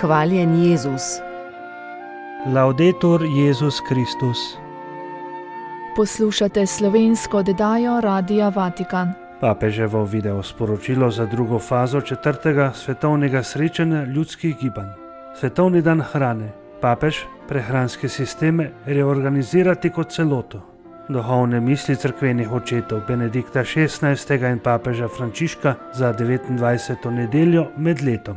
Hvaljen Jezus. Laudetur Jezus Kristus. Poslušate slovensko oddajo Radia Vatikan. Papeževo video sporočilo za drugo fazo 4. svetovnega srečanja ljudskih gibanj. Svetovni dan hrane. Papež prehranske sisteme reorganizirati kot celoto. Duhovne misli cerkvenih očetov Benedikta XVI. In papeža Frančiška za 29. nedeljo med letom.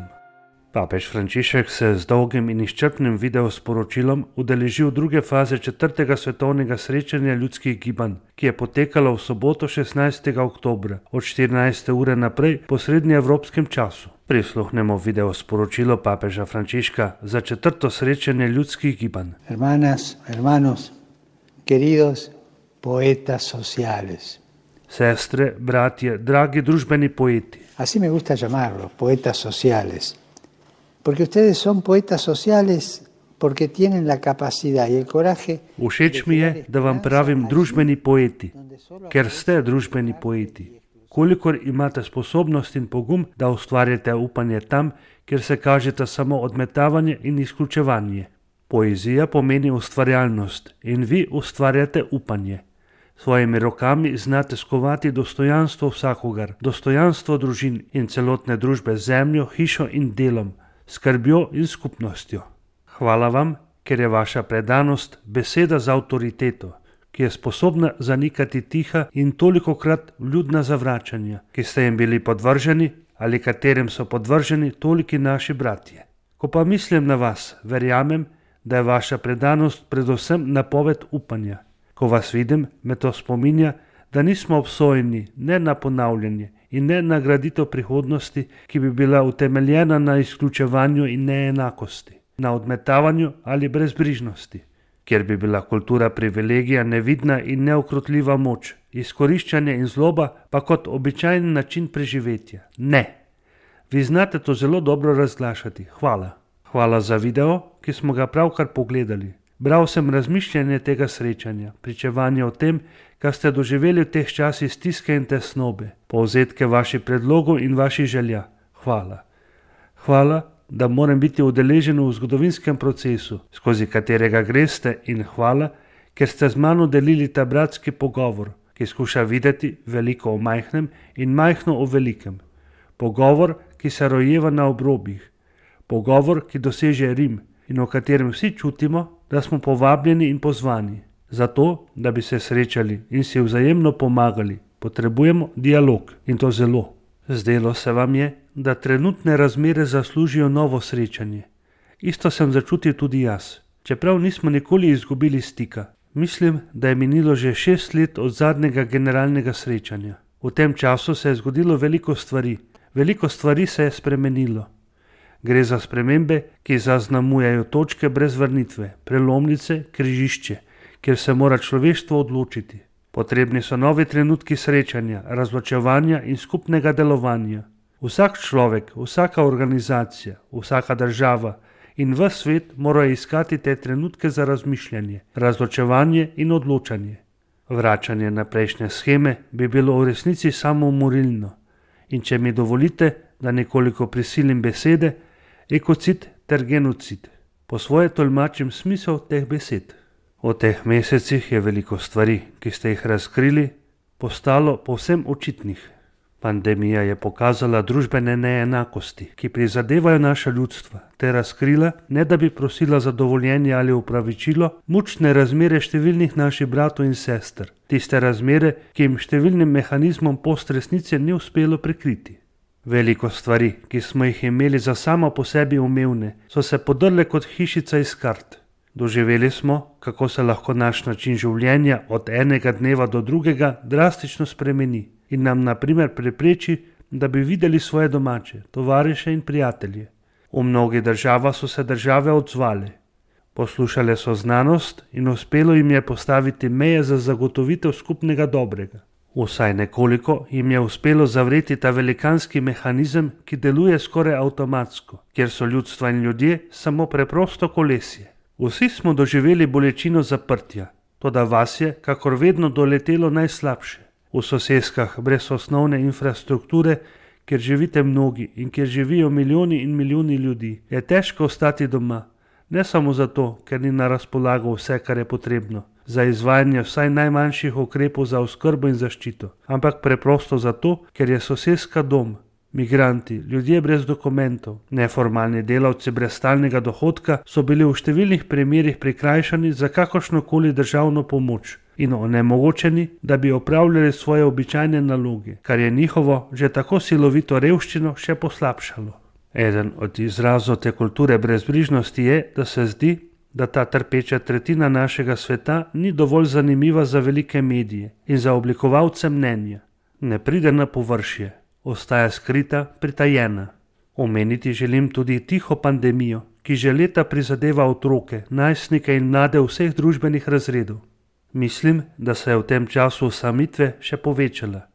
Papež Frančišek se z dolgim in izčrpnim videosporočilom udeležil druge faze 4. svetovnega srečanja ljudskih gibanj, ki je potekalo v soboto 16. oktobra od 14. ure naprej po srednjeevropskem času. Prisluhnemo videosporočilo papeža Frančiška za 4. srečanje ljudskih gibanj. Hermanas, hermanos, queridos poetas sociales. Sestre, bratje, dragi družbeni poeti. Así me gusta llamarlos, poetas sociales. Porque ustedes son poetas sociales porque tienen la capacidad y el coraje. Všeč mi je, da vam pravim družbeni poeti, ker ste družbeni poeti. Kolikor imate sposobnost in pogum, da ustvarjate upanje tam, kjer se kažete samo odmetavanje in izključevanje. Poezija pomeni ustvarjalnost in vi ustvarjate upanje. Svojimi rokami znate skovati dostojanstvo vsakogar, dostojanstvo družin in celotne družbe z zemljo, hišo in delom, skrbjo in skupnostjo. Hvala vam, ker je vaša predanost beseda z avtoriteto, ki je sposobna zanikati tiha in tolikokrat vljudna zavračanja, ki ste jim bili podvrženi ali katerim so podvrženi toliki naši bratje. Ko pa mislim na vas, verjamem, da je vaša predanost predvsem napoved upanja. Ko vas vidim, me to spominja, da nismo obsojeni ne na ponavljanje in ne na graditev prihodnosti, ki bi bila utemeljena na izključevanju in neenakosti, na odmetavanju ali brezbrižnosti, kjer bi bila kultura privilegija nevidna in neukrotljiva moč, izkoriščanje in zloba pa kot običajen način preživetja. Ne! Vi znate to zelo dobro razglašati. Hvala. Hvala za video, ki smo ga pravkar pogledali. Bral sem razmišljanje tega srečanja, pričevanje o tem, kar ste doživeli v teh časih stiske in tesnobe, povzetke vaših predlogov in vaših želja. Hvala. Hvala, da moram biti udeležen v zgodovinskem procesu, skozi katerega greste, in hvala, ker ste z mano delili ta bratski pogovor, ki skuša videti veliko o majhnem in majhno o velikem. Pogovor, ki se rojeva na obrobjih. Pogovor, ki doseže Rim in o katerem vsi čutimo, da smo povabljeni in pozvani. Zato, da bi se srečali in si vzajemno pomagali, potrebujemo dialog, in to zelo. Zdelo se vam je, da trenutne razmere zaslužijo novo srečanje. Isto sem začutil tudi jaz, čeprav nismo nikoli izgubili stika. Mislim, da je minilo že 6 let od zadnjega generalnega srečanja. V tem času se je zgodilo veliko stvari se je spremenilo. Gre za spremembe, ki zaznamujejo točke brez vrnitve, prelomnice, križišče, kjer se mora človeštvo odločiti. Potrebni so novi trenutki srečanja, razločevanja in skupnega delovanja. Vsak človek, vsaka organizacija, vsaka država in ves svet morajo iskati te trenutke za razmišljanje, razločevanje in odločanje. Vračanje na prejšnje sheme bi bilo v resnici samoumorilno. In če mi dovolite, da nekoliko prisilim besede, ekocid ter genocid. Po svoje tolmačim smisel teh besed. V teh mesecih je veliko stvari, ki ste jih razkrili, postalo povsem očitnih. Pandemija je pokazala družbene neenakosti, ki prizadevajo naša ljudstva, ter razkrila, ne da bi prosila za dovoljenje ali upravičilo, mučne razmere številnih naših bratov in sester. Tiste razmere, ki jim številnim mehanizmom postresnice ni uspelo prekriti. Veliko stvari, ki smo jih imeli za samo po sebi umevne, so se podrle kot hišica iz kart. Doživeli smo, kako se lahko naš način življenja od enega dneva do drugega drastično spremeni in nam na primer prepreči, da bi videli svoje domače, tovariše in prijatelje. V mnogih državah so se države odzvale. Poslušale so znanost in uspelo jim je postaviti meje za zagotovitev skupnega dobrega. Vsaj nekoliko jim je uspelo zavreti ta velikanski mehanizem, ki deluje skoraj avtomatsko, kjer so ljudstva in ljudje samo preprosto kolesje. Vsi smo doživeli bolečino zaprtja, toda vas je, kakor vedno, doletelo najslabše. V soseskah brez osnovne infrastrukture, kjer živite mnogi in kjer živijo milijoni in milijoni ljudi, je težko ostati doma. Ne samo zato, ker ni na razpolago vse, kar je potrebno za izvajanje vsaj najmanjših ukrepov za oskrbo in zaščito, ampak preprosto zato, ker je soseska dom. Migranti, ljudje brez dokumentov, neformalni delavci brez stalnega dohodka so bili v številnih primerih prikrajšani za kakršnokoli državno pomoč in onemogočeni, da bi opravljali svoje običajne naloge, kar je njihovo že tako silovito revščino še poslabšalo. Eden od izrazov te kulture brezbrižnosti je, da se zdi, da ta trpeča tretjina našega sveta ni dovolj zanimiva za velike medije in za oblikovalce mnenja. Ne pride na površje, ostaja skrita, pritajena. Omeniti želim tudi tiho pandemijo, ki že leta prizadeva otroke, najstnike in mlade vseh družbenih razredov. Mislim, da se je v tem času osamitve še povečala.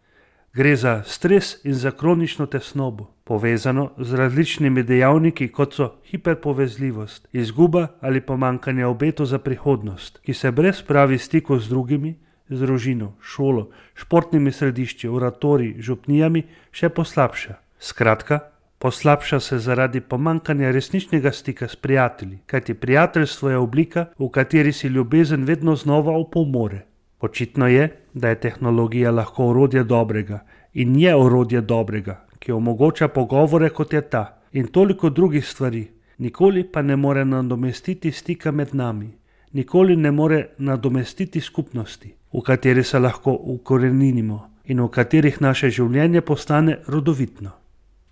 Gre za stres in za kronično tesnobo, povezano z različnimi dejavniki, kot so hiperpovezljivost, izguba ali pomanjkanje obetov za prihodnost, ki se brez pravi stikov z drugimi, z družino, šolo, športnimi središči, oratoriji, župnijami še poslabša. Skratka, poslabša se zaradi pomanjkanja resničnega stika s prijatelji, kajti prijateljstvo je oblika, v kateri si ljubezen vedno znova opomore. Očitno je, da je tehnologija lahko orodje dobrega in je orodje dobrega, ki omogoča pogovore kot je ta in toliko drugih stvari, nikoli pa ne more nadomestiti stika med nami, nikoli ne more nadomestiti skupnosti, v kateri se lahko ukoreninimo in v katerih naše življenje postane rodovitno.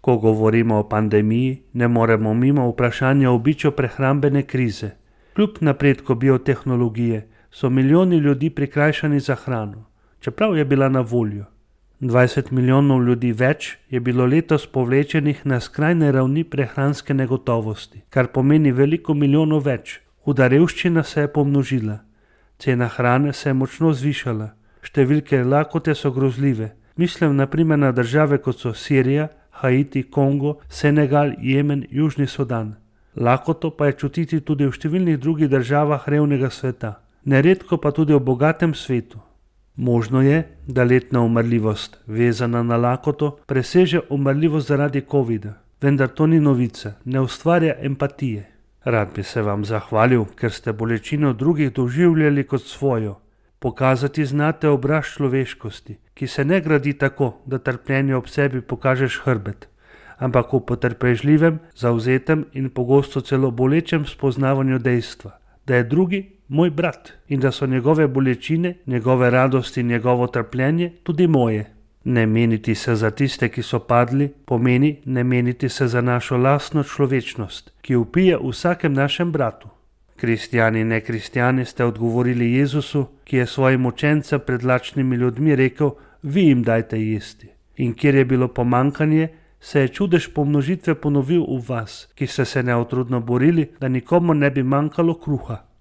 Ko govorimo o pandemiji, ne moremo mimo vprašanja o biču prehrambene krize. Kljub napredku biotehnologije so milijoni ljudi prikrajšani za hrano, čeprav je bila na voljo. 20 milijonov ljudi več je bilo letos povlečenih na skrajne ravni prehranske negotovosti, kar pomeni veliko milijonov več. Huda revščina se je pomnožila, cena hrane se je močno zvišala, številke lakote so grozljive. Mislim na primer na države kot so Sirija, Haiti, Kongo, Senegal, Jemen, Južni Sudan. Lakoto pa je čutiti tudi v številnih drugih državah revnega sveta, neredko pa tudi v bogatem svetu. Možno je, da letna umrljivost, vezana na lakoto, preseže umrljivost zaradi covida, vendar to ni novica, ne ustvarja empatije. Rad bi se vam zahvalil, ker ste bolečino drugih doživljali kot svojo. Pokazati znate obraz človeškosti, ki se ne gradi tako, da trpljenje ob sebi pokažeš hrbet, ampak v potrpežljivem, zavzetem in pogosto celo bolečem spoznavanju dejstva, da je drugi moj brat in da so njegove bolečine, njegove radosti in njegovo trpljenje tudi moje. Ne meniti se za tiste, ki so padli, pomeni ne meniti se za našo lastno človečnost, ki vpije v vsakem našem bratu. Kristjani in nekristjani ste odgovorili Jezusu, ki je svojim učencem pred lačnimi ljudmi rekel, vi jim dajte jesti. In kjer je bilo pomankanje, se je čudež pomnožitve ponovil v vas, ki ste se neotrudno borili, da nikomu ne bi manjkalo kruha.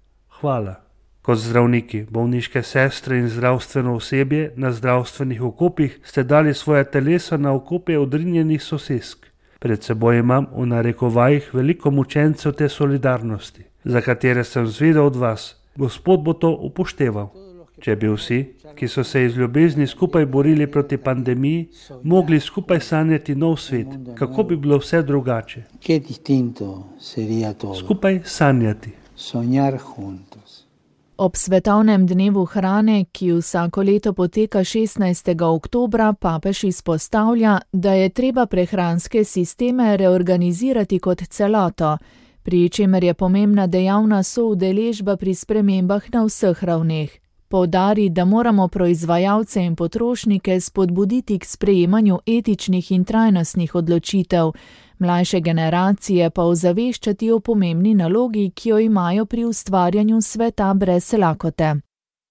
Hvala. Kot zdravniki, bolniške sestre in zdravstveno osebje na zdravstvenih okopih ste dali svoje telesa na okope odrinjenih sosesk. Pred seboj imam v narekovajih veliko mučencev te solidarnosti, za katere sem zvedel od vas. Gospod bo to upošteval. Če bi vsi, ki so se iz ljubezni skupaj borili proti pandemiji, mogli skupaj sanjati nov svet, kako bi bilo vse drugače. Skupaj sanjati. Ob svetovnem dnevu hrane, ki vsako leto poteka 16. oktobra, papež izpostavlja, da je treba prehranske sisteme reorganizirati kot celoto, pri čemer je pomembna dejavna soudeležba pri spremembah na vseh ravneh. Poudari, da moramo proizvajalce in potrošnike spodbuditi k sprejemanju etičnih in trajnostnih odločitev, mlajše generacije pa ozaveščati o pomembni nalogi, ki jo imajo pri ustvarjanju sveta brez lakote.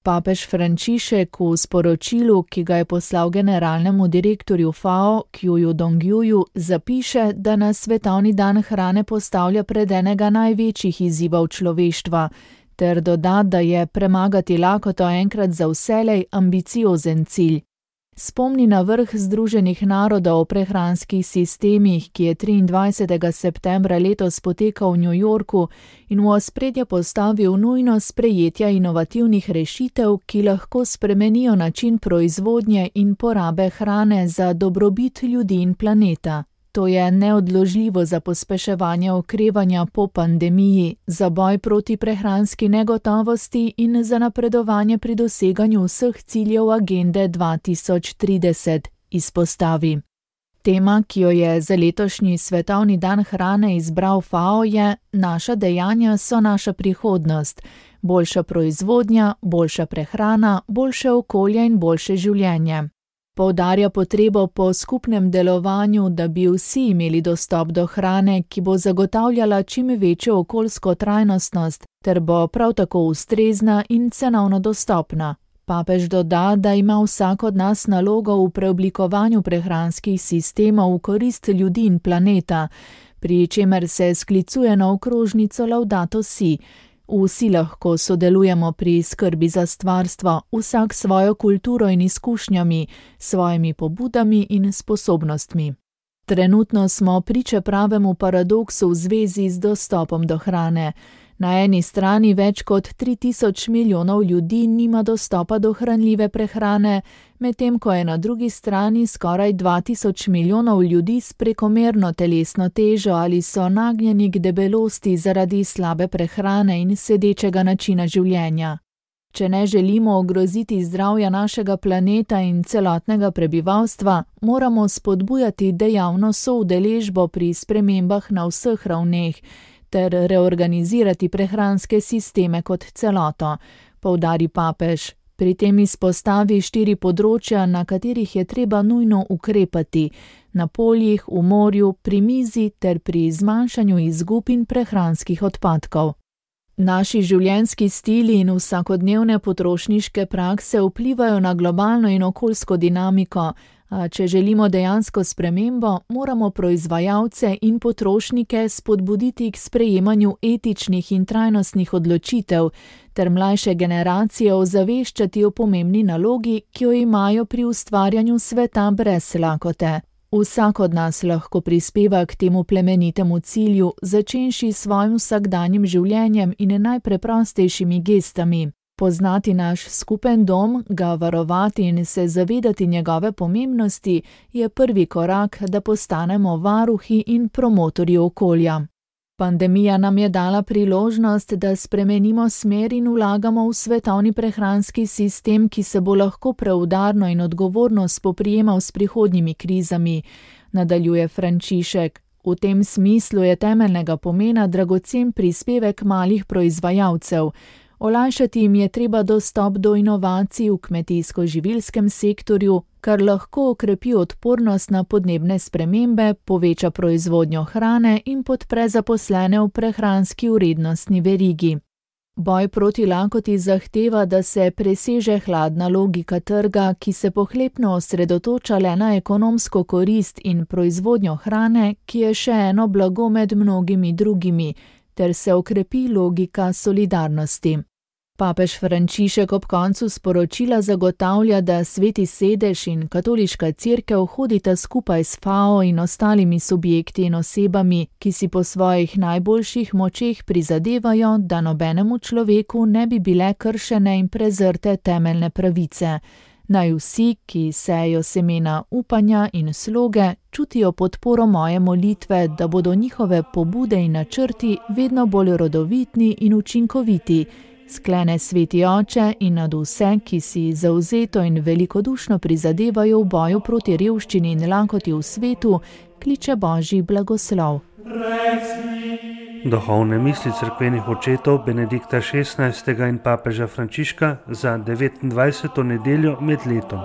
Papež Frančišek v sporočilu, ki ga je poslal generalnemu direktorju FAO, Kjuju Dongjuju, zapiše, da nas svetovni dan hrane postavlja pred enega največjih izzivov človeštva, ter doda, da je premagati lakoto enkrat za vselej ambiciozen cilj. spomni na vrh Združenih narodov o prehranskih sistemih, ki je 23. septembra letos potekal v New Yorku in v ospredje postavil nujnost sprejetja inovativnih rešitev, ki lahko spremenijo način proizvodnje in porabe hrane za dobrobit ljudi in planeta. To je neodložljivo za pospeševanje okrevanja po pandemiji, za boj proti prehranski negotovosti in za napredovanje pri doseganju vseh ciljev agende 2030, izpostavi. Tema, ki jo je za letošnji svetovni dan hrane izbral FAO, je Naša dejanja so naša prihodnost. Boljša proizvodnja, boljša prehrana, boljše okolje in boljše življenje. Poudarja potrebo po skupnem delovanju, da bi vsi imeli dostop do hrane, ki bo zagotavljala čim večjo okoljsko trajnostnost, ter bo prav tako ustrezna in cenovno dostopna. Papež doda, da ima vsak od nas nalogo v preoblikovanju prehranskih sistemov v korist ljudi in planeta, pri čemer se sklicuje na okrožnico Laudato Si. Vsi lahko sodelujemo pri skrbi za stvarstvo, vsak svojo kulturo in izkušnjami, svojimi pobudami in sposobnostmi. Trenutno smo priče pravemu paradoksu v zvezi z dostopom do hrane. Na eni strani več kot 3000 milijonov ljudi nima dostopa do hranljive prehrane, medtem ko je na drugi strani skoraj 2000 milijonov ljudi s prekomerno telesno težo ali so nagnjeni k debelosti zaradi slabe prehrane in sedečega načina življenja. Če ne želimo ogroziti zdravja našega planeta in celotnega prebivalstva, moramo spodbujati dejavno soudeležbo pri spremembah na vseh ravneh, ter reorganizirati prehranske sisteme kot celoto, poudari papež. Pri tem izpostavi 4 področja, na katerih je treba nujno ukrepati: na poljih, v morju, pri mizi ter pri zmanjšanju izgub in prehranskih odpadkov. Naši življenjski stili in vsakodnevne potrošniške prakse vplivajo na globalno in okoljsko dinamiko, a če želimo dejansko spremembo, moramo proizvajalce in potrošnike spodbuditi k sprejemanju etičnih in trajnostnih odločitev ter mlajše generacije ozaveščati o pomembni nalogi, ki jo imajo pri ustvarjanju sveta brez lakote. Vsak od nas lahko prispeva k temu plemenitemu cilju, začenši s svojim vsakdanjim življenjem in najpreprostejšimi gestami. Poznati naš skupen dom, ga varovati in se zavedati njegove pomembnosti je prvi korak, da postanemo varuhi in promotorji okolja. Pandemija nam je dala priložnost, da spremenimo smer in vlagamo v svetovni prehranski sistem, ki se bo lahko preudarno in odgovorno spoprijemal s prihodnjimi krizami, nadaljuje Frančišek. V tem smislu je temeljnega pomena dragocen prispevek malih proizvajalcev. Olajšati jim je treba dostop do inovacij v kmetijsko-živilskem sektorju, kar lahko okrepi odpornost na podnebne spremembe, poveča proizvodnjo hrane in podpre zaposlene v prehranski vrednostni verigi. Boj proti lakoti zahteva, da se preseže hladna logika trga, ki se pohlepno osredotoča le na ekonomsko korist in proizvodnjo hrane, ki je še eno blago med mnogimi drugimi, ter se okrepi logika solidarnosti. Papež Frančišek ob koncu sporočila zagotavlja, da Sveti sedež in Katoliška cerkev hodita skupaj s FAO in ostalimi subjekti in osebami, ki si po svojih najboljših močeh prizadevajo, da nobenemu človeku ne bi bile kršene in prezrte temeljne pravice. Naj vsi, ki sejo semena upanja in sloge, čutijo podporo moje molitve, da bodo njihove pobude in načrti vedno bolj rodovitni in učinkoviti, sklene Sveti Oče in nad vse, ki si zavzeto in velikodušno prizadevajo v boju proti revščini in lakoti v svetu, kliče Božji blagoslov. Duhovne misli cerkvenih očetov Benedikta XVI. In papeža Frančiška za 29. nedeljo med letom.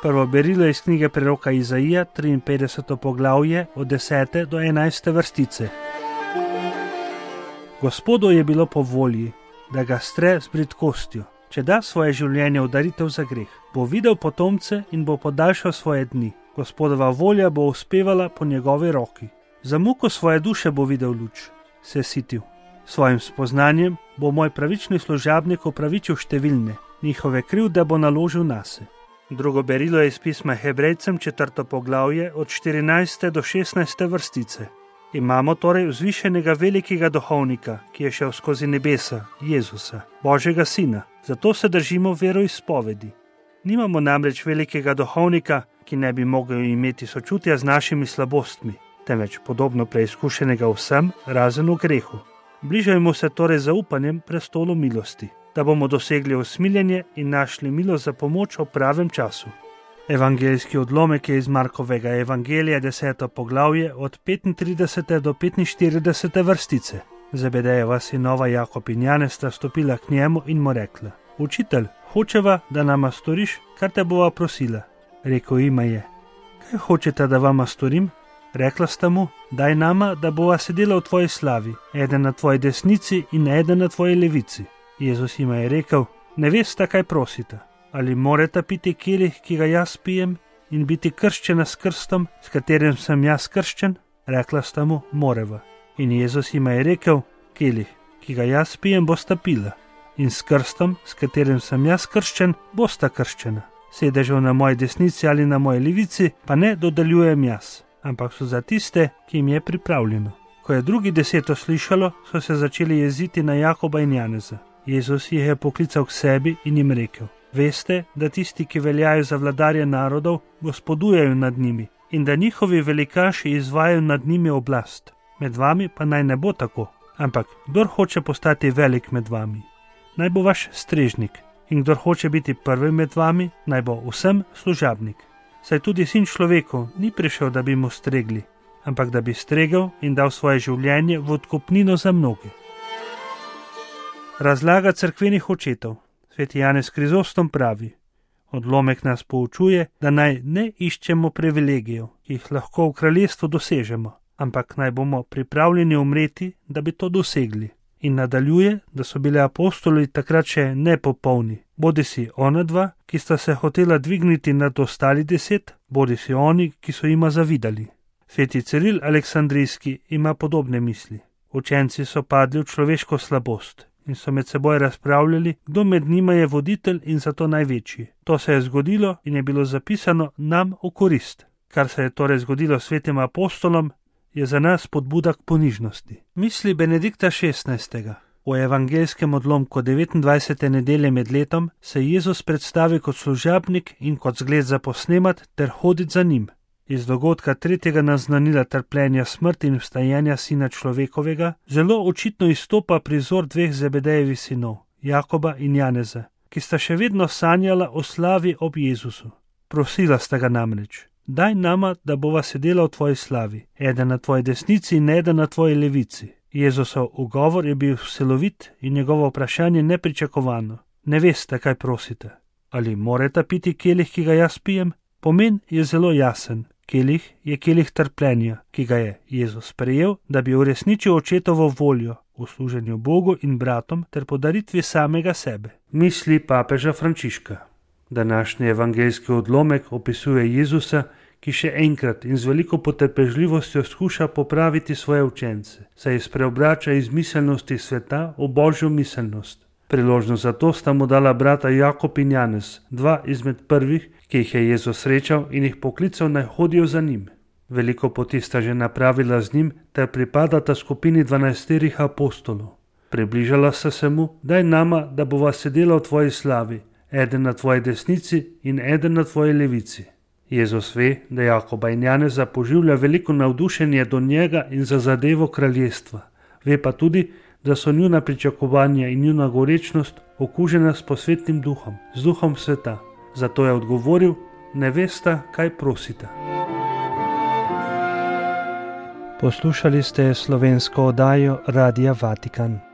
Prvo berilo iz knjige preroka Izaija, 53. poglavje, od 10. do 11. vrstice. Gospodu je bilo po volji, da ga stre z bridkostjo. Če da svoje življenje v daritev za greh, bo videl potomce in bo podaljšal svoje dni. Gospodova volja bo uspevala po njegovi roki. Za muko svoje duše bo videl luč. se sitil. Svojim spoznanjem bo moj pravični služabnik opravičil številne, njihove krivde bo naložil nase. Drugo berilo je iz pisma Hebrejcem 4. poglavje od 14. do 16. vrstice. Imamo torej vzvišenega velikega duhovnika, ki je šel skozi nebesa, Jezusa, Božjega Sina, zato se držimo veroizpovedi. Nimamo namreč velikega duhovnika, ki ne bi mogel imeti sočutja z našimi slabostmi, temveč podobno preizkušenega vsem, razen v grehu. Bližajmo se torej zaupanjem prestolu milosti, da bomo dosegli usmiljenje in našli milost za pomoč v pravem času. Evangeljski odlomek je iz Markovega evangelija 10. poglavje od 35. do 45. vrstice. Zebedejeva sinova Jakob in Janez sta stopila k njemu in mu rekla: Učitelj, hočeva, da nama storiš, kar te bova prosila. Rekel jima je: Kaj hočete, da vama storim? Rekla sta mu: Daj nama, da bova sedela v tvoji slavi, eden na tvoji desnici in eden na tvoji levici. Jezus jima je rekel: Ne veste, kaj prosite. Ali morate piti kelih, ki ga jaz pijem, in biti krščena s krstom, s katerim sem jaz krščen? Rekla sta mu: Moreva. In Jezus jima je rekel: Kelih, ki ga jaz pijem, bosta pila, in s krstom, s katerim sem jaz krščen, bosta krščena. Sedežev na moji desnici ali na moji levici pa ne dodeljujem jaz, ampak so za tiste, ki jim je pripravljeno. Ko je drugi 10 slišalo, so se začeli jeziti na Jakoba in Janeza. Jezus jih je poklical k sebi in jim rekel: Veste, da tisti, ki veljajo za vladarje narodov, gospodujejo nad njimi in da njihovi velikaši izvajajo nad njimi oblast. Med vami pa naj ne bo tako, ampak kdor hoče postati velik med vami, naj bo vaš strežnik, in kdor hoče biti prvi med vami, naj bo vsem služabnik. Saj tudi Sin človeku ni prišel, da bi mu stregli, ampak da bi stregel in dal svoje življenje v odkupnino za mnoge. Razlaga cerkvenih očetov. Sveti Janez Krizostom pravi: Odlomek nas poučuje, da naj ne iščemo privilegijev, ki jih lahko v kraljestvu dosežemo, ampak naj bomo pripravljeni umreti, da bi to dosegli. In nadaljuje, da so bili apostoli takrat še nepopolni, bodisi ona dva, ki sta se hotela dvigniti nad ostali 10, bodisi oni, ki so jima zavidali. Sveti Ciril Aleksandrijski ima podobne misli. Učenci so padli v človeško slabost in so med seboj razpravljali, kdo med njima je voditelj in zato največji. To se je zgodilo in je bilo zapisano nam v korist. Kar se je torej zgodilo svetim apostolom, je za nas spodbuda k ponižnosti. Misli Benedikta XVI. V evangeljskem odlomku 29. nedelje med letom se Jezus predstavi kot služabnik in kot zgled za posnemat ter hoditi za njim. Iz dogodka 3. naznanila trpljenja, smrti in vstajenja Sina človekovega zelo očitno izstopa prizor dveh Zebedejevih sinov, Jakoba in Janeza, ki sta še vedno sanjala o slavi ob Jezusu. Prosila sta ga namreč: Daj nama, da bova sedela v tvoji slavi, eden na tvoji desnici in eden na tvoji levici. Jezusov ugovor je bil silovit in njegovo vprašanje nepričakovano. Ne veste, kaj prosite. Ali morate piti kelih, ki ga jaz pijem? Pomen je zelo jasen. Kelih je kelih trpljenja, ki ga je Jezus sprejel, da bi uresničil očetovo voljo v služenju Bogu in bratom ter podaritvi samega sebe. Misli papeža Frančiška. Današnji evangeljski odlomek opisuje Jezusa, ki še enkrat in z veliko potrpežljivostjo skuša popraviti svoje učence, saj jih spreobrača iz miselnosti sveta v Božjo miselnost. Priložnost za to sta mu dala brata Jakob in Janez, dva izmed prvih, ki jih je Jezus srečal in jih poklical, naj hodijo za njim. Veliko poti sta že napravila z njim ter pripadata skupini 12 apostolov. Približala sta se mu: Daj nama, da bova sedela v tvoji slavi, eden na tvoji desnici in eden na tvoji levici. Jezus ve, da Jakoba in Janeza poživlja veliko navdušenje do njega in za zadevo kraljestva. Ve pa tudi, da so njuna pričakovanja in njuna gorečnost okužena s posvetnim duhom, z duhom sveta. Zato je odgovoril: Ne veste, kaj prosite. Poslušali ste slovensko oddajo Radia Vatikan.